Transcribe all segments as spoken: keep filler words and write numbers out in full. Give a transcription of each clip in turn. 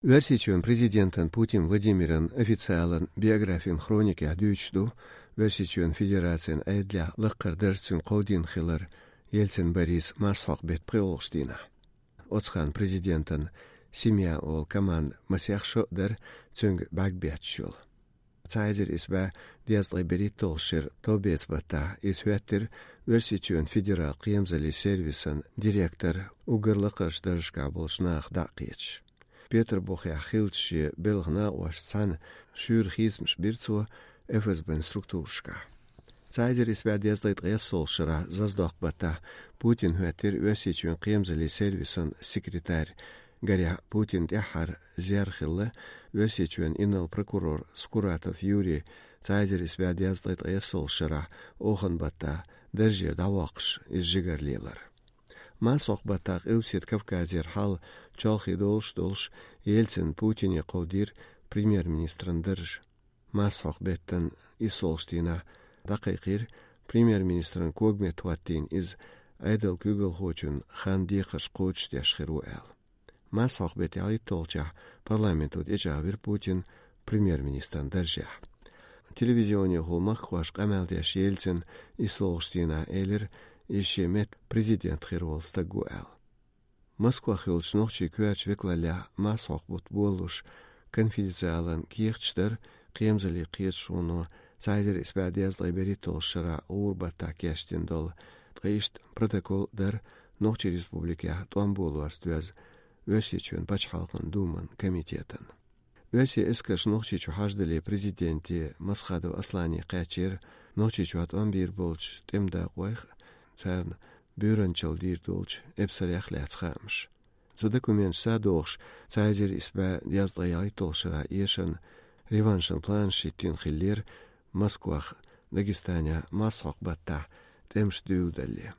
Оьрсийчоьнан президентан Путин Владимиран официалан биографин хроникехь дуьйцуш ду, Оьрсийчоьнан Федерацин Ӏедалехь лаккхара дарж цуьнан кховдийна хилар Ельцин Борис марсхьокху беттан пхоьалгӀачу дийнахь. Оцу хенахь президентан семья олу команда масех шо а дара цуьнга бӀаьрг бетташ йолу. Цхьа эзар исс бӀе дезткъе берхӀитталгӀачу шеран товбеца баттахь иза хӀоьттира Оьрсийчоьнан федерал кхерамзаллин сервисан директор, уггар лакхарчу даржашкахь болчу нахах дӀа а кхеташ. Петарбухехь хиллачу шен белхан накъосташца цхьаьна шуьйра хийцамаш бира цо ФСБ-н структурашкахь. Цхьа эзар исс бӀе дезткъе ткъайоьссалгӀачу шарахь Заздоккху баттахь Путин хӀоьттира Оьрсийчоьнан кхерамзаллин сервисан секретарь. Гарехь, Путин тӀаьххьара зер хилла Оьрсийчоьнан инарла прокурор Скуратов Юрий цхьа эзар исс бӀе дезткъе ткъайоьссалгӀачу шарахь Оханан баттахь даржера дӀавоккхуш иза жигара лелар. Марсхьокху баттахь Къилбаседа Кавказера хьал чолхе долуш а долуш, Ельцина Путине кховдийра премьер-министран дарж. Марсхьокху беттан иссалгӀачу дийнахь дӀакхайкхийра премьер-министран когаметта хӀоттийна иза, Ӏедалан куьйгалхочун хан декхарш кхочушдеш хир ву аьлла. Марсхьокху беттан ялхитталгӀачохь парламенто тӀечӀагӀвира Путин премьер-министран даржехь. Телевизионехула махкахошка къамел деш Ельцина иссалгӀачу дийнахь элира, иза шен метта президент хир волу стаг ву аьлла. Москвахь йолчу нохчийн коьртачу векалаллехь марсхьокху бутт болалуш конфиденциалан кехаташ дара кхерамзаллин кхеташоно цхьа эзар исс бӀе дезткъе берхӀитталгӀачу шарахь гӀура баттахь кечдина долу, ткъа иштта протокол а дара Нохчийн Республикехь тӀом болорца доьзна Оьрсийчоьнан Пачхьалкхан Думан комитетан. Оьрсийн эскарш Нохчийчу хьаждале президенте Масхадов Аслане кхаьчнера Нохчийчохь тӀом бийр болчу тӀеман дакъойх а, царна буьйранчалла дийр долчу эпсарех а лаьцна хаамаш. Цу документашца догӀуш, цхьа эзар исс бӀе дезткъе ялхитталгӀачу шарахь эшарна реваншан планаш хӀиттийна хиллера Москвахь Дагестанехь марсхьокху баттахь тӀемаш дуьйладалале.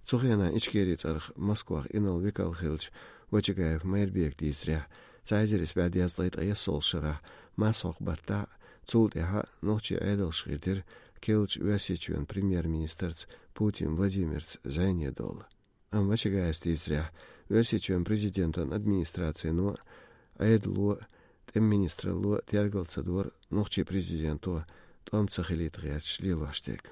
Цу хенахь Ичкерин цӀарах Москвахь инарла векал хиллачу Вачагаев Майрбека дийцарехь, цхьа эзар исс бӀе дезткъе ткъайоьссалгӀачу шарахь марсхьокху баттахь а, цул тӀаьхьа а нохчийн Ӏедалша хийтира керлачу Оьрсийчоьнан премьер-министрца Путин Владимирца зӀене долу. Амма Вачагаевс дийцарехь, Оьрсийчоьнан президентан администрацино а, Ӏедало а, тӀеман министралло а тергал ца дора нохчийн президенто тӀом ца хилийта гӀерташ лелош дерг.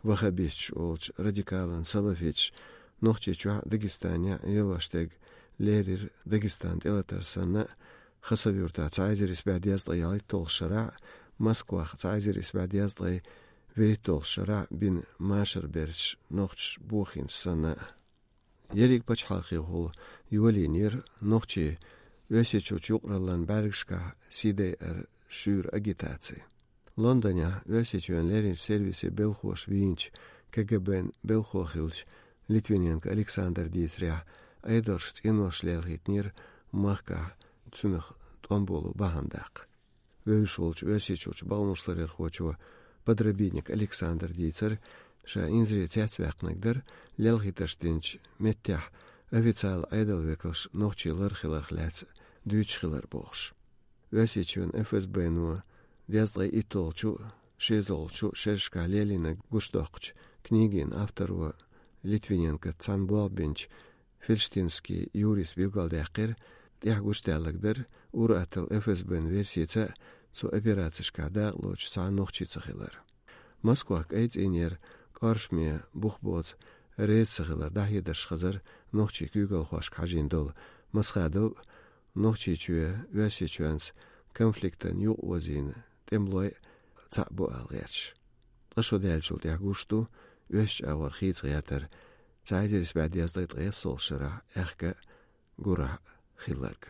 Ваххабисташ олучу радикалан салафиташа Нохчийчохь а, Дагестанехь а лелош дерг леррина Дагестан тӀелатар санна а, Хасавюртахь цхьа эзар исс бӀе дезткъе ялхитталгӀачу шарахь а, Москвахь цхьа эзар исс бӀе дезткъе вуьрхӀитталгӀачу шарахь а бина машаран берташ нохчаша бохийна санна а. Ерриг пачхьалкхехула йолийнера нохчийн Оьрсийчуьрчу юкъараллин бӀаьргашкахь сий дайара шуьйра агитаци. Лондонехь Оьрсийчоьнан лерринчу сервисийн белхоша вийначу КГБ-н белхо хиллачу Литвиненко Александра дийцарехь, Ӏедалша цӀенош лелхийтинера махкахь цуьнах тӀом боло бахьана даккха. Вевзаш волчу Оьрсийчуьрчу бакъонашларъярхочо Подробинник Александра дийцира, ша инзаре цецваьккхинарг дара лелхийтарш динчу меттехь официалан Ӏедалан векалш нохчий лар хиларх лаьцна дуьйцуш хилар бохуш. Оьрсийчоьнан ФСБ-но дезткъе итталгӀачу а, шозлагӀчу а шерашкахь лелийнарг гучудоккхучу книгин авторо Литвиненкоца цхьаьна болх бинчу Фельштинский Юрис билгалдаьккхира, тӀехь гучудаьлларг дара ур-атталла ФСБ-н версица а цу операцешкахь дакъалоцуш цхьа а нохчица хилар. Москвахь кӀайн цӀийнера кӀоршаме бух боцу реза ца хилар дӀахьедарш хезара нохчийн куьйгалхошка хьажийна долу Масхадов а, Нохчийчоь Оьрсийчоьнца конфликтан юкъаозийна тӀемалой а цхьаъ бу ала гӀерташ. Ткъа шо даьллачул тӀаьхьа гуш ду Оьрсийчу агӀор хийца гӀертар цхьа эзар исс бӀе дезткъе ткъайоьссалгӀачу шарахь аьхка а, гурахь а хилларг.